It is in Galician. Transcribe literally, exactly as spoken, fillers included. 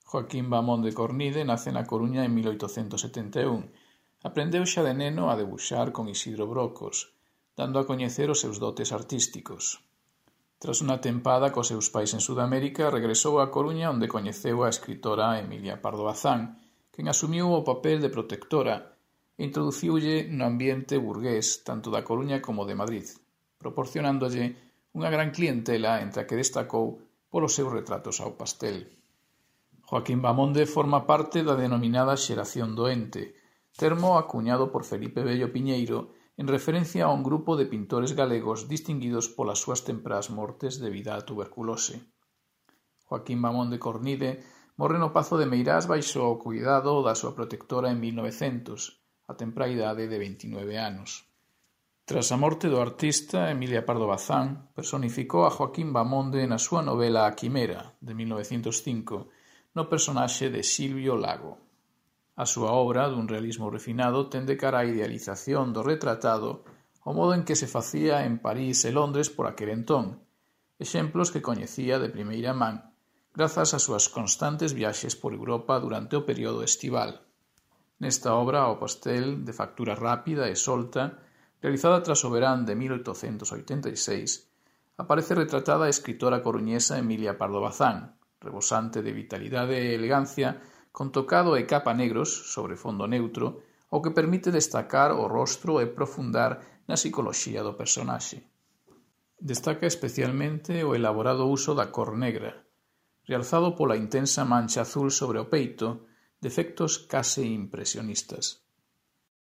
Joaquín Bamón de Cornide nace na Coruña en mil oitocentos setenta e un. Aprendeu xa de neno a debuxar con Isidro Brocos, dando a coñecer os seus dotes artísticos. Tras unha tempada cos seus pais en Sudamérica, regresou á Coruña onde coñeceu a escritora Emilia Pardo Bazán, quen asumiu o papel de protectora e introduciulle no ambiente burgués tanto da Coruña como de Madrid, proporcionándolle unha gran clientela entre a que destacou polos seus retratos ao pastel. Joaquín Bamonde forma parte da denominada xeración doente, termo acuñado por Felipe Bello Piñeiro en referencia a un grupo de pintores galegos distinguidos polas súas temprás mortes debido á tuberculose. Joaquín Bamón de Cornide morre no Pazo de Meirás baixo o cuidado da súa protectora en mil novecentos, a temprá idade de veintinueve anos. Tras a morte do artista, Emilia Pardo Bazán personificou a Joaquín Bamonde na súa novela A Quimera, de mil novecentos cinco, no personaxe de Silvio Lago. A súa obra, dun realismo refinado, ten de cara a idealización do retratado o modo en que se facía en París e Londres por aquel entón, exemplos que coñecía de primeira man, grazas ás súas constantes viaxes por Europa durante o período estival. Nesta obra, ao pastel, de factura rápida e solta, realizada tras o verán de mil oitocentos oitenta e seis, aparece retratada a escritora coruñesa Emilia Pardo Bazán, rebosante de vitalidade e elegancia, con tocado e capa negros sobre fondo neutro, o que permite destacar o rostro e profundar na psicoloxía do personaxe. Destaca especialmente o elaborado uso da cor negra, realzado pola intensa mancha azul sobre o peito, de efectos case impresionistas.